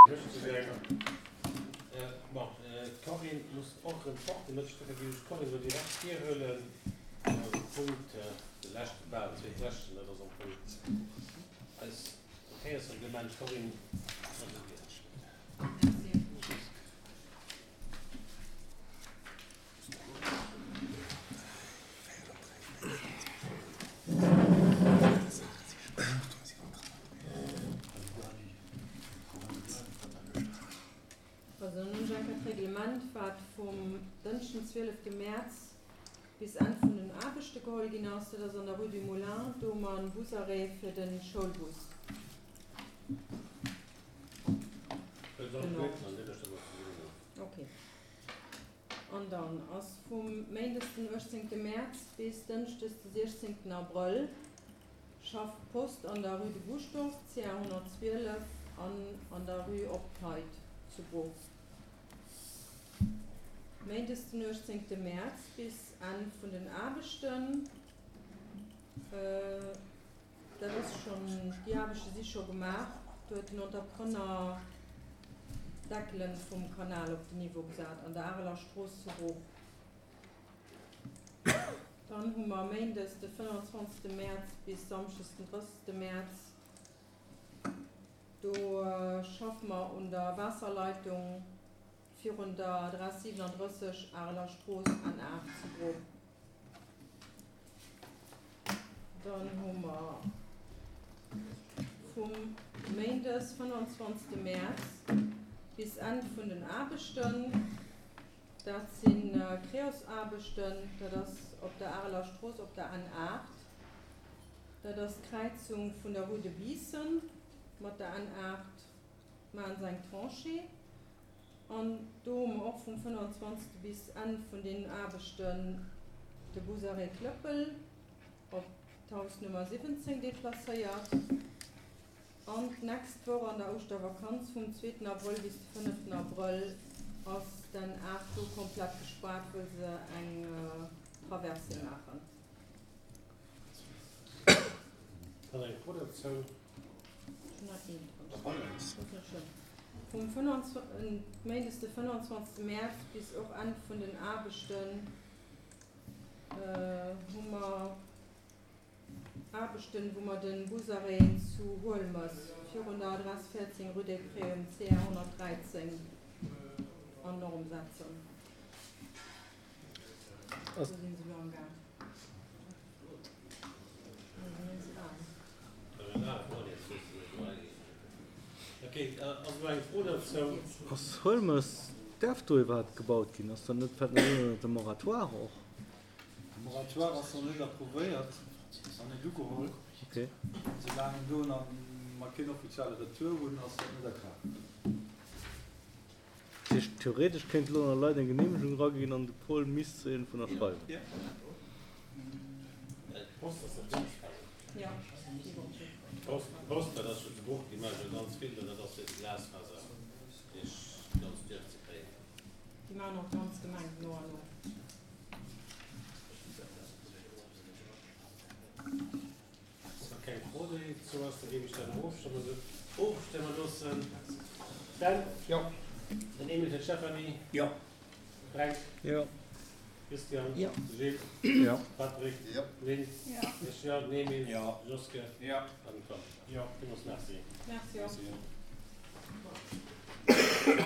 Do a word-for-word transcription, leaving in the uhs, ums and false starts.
Bon, d'Corinne muss och erëm fort, de Mëtteg, dofir géif ech d'Corinne elo direkt virhuelen. De Punkt, de leschten, bal zweetleschten, dat ass am Fong eis Verkéiersreglement. Corinne, ass un dir. Merci. Also dann hunn ech eng Kéier d'Reglement, wat vum Dënschden, zwielefte Mäerz bis Enn vun den Aarbechte geholl ginn ass. Dat ass an der Rue du Moulin, do hu mer en Busarrêt fir de Schoulbus. Genau. Okay. An dann ass vum Méindes den uechtzéngte Mäerz bis Dënschdes de siechzéngten Abrëll schafft d'Post an der Rue de Buschdorf, C A honnertzwielef, an an der Rue Op d'Heid zu Bruch. Méindes den uechtzéngte Mäerz bis Enn vun den Aarbechten. Dat ass schonn, déi Aarbechte si scho gemaach. Do huet den Entrepreneur d'Deckele vum Kanal op den Niveau gesat an der Areler Strooss zu Bruch. Dann hu mer méindes de fënnwanzwanzegste Mäerz bis samschdes den drëssegste Mäerz, do schaffe mer un der Waasserleitung virun der Adress siwenandrësseg Areler Strooss N aacht zu Bruch. Dann hu mer vum Méindes fënnwanzwanzegste Mäerz bis Enn vun den Aarbechten, dat si Creos-Aarbechten, dat ass op der Areler Strooss op der N aacht, dat ass d'Kräizung vun der Rue de Biissen mat der N aacht, maachen se eng Tranchée. An do hu mer och vum fënnwanzwanzegste bis Enn vun deenen Aarbechten de Busarrêt Klëppel op d'Haus Nummer siwwenzéng deplacéiert. An d'nächst Woch an der Ouschtervakanz vum zweeten Abrëll bis de fënneften Abrëll ass den aacht do komplett gespaart, wëll se eng Traversée maachen. Dann eng Fro dozou. Ech hunn nach een dran. Dat ass net schlëmm. Vum Méindes de fënnwanzwanzegste Mäerz bis och Enn vun den Aarbechten hu mer Aarbechten, wou mer de Busarrêt zu Huelmes virun der Adress véierzéng rue des Prés um C R honnertdräizéng an Norm setzen. Do sinn se elo am Gaang. Ass Huelmes, däerf do iwwerhaapt gebaut ginn? Ass dat net, fält net ënnert de Moratoire och? De Moratoire ass nach net approuvéiert an net ugeholl. Okay. Soulaang do nach mer keen offizielle Retour hunn, ass dat net a Kraaft. Dat heescht, theoretesch kéinte lo nach Leit eng Geneemegung eraginn an de Paul misst se iergendwou nach schreiwen. D'Post ass dat Ja. D'Post, dat ass jo zu Bruch, déi maache jo ganz vill, an dat ass fir de Glasfaser duerch d'ganz Duerf ze kréien. Déi maachen och d'ganz Gemeng no an no. Wa keng Fro dozou ass, da géif ech dat och ofstëmme ofstëmme loossen. Sven? Jo. Den Emil, den Stéphanie? Jo. Fränk? Jo. Christian? Jo. Gilles? Jo. Patrick? Jo. Lynn? Jo. Ech jo. Den Emil? Jo. Joske? Jo. An den Tom? Jo. Villmools merci. Merci och. Merci.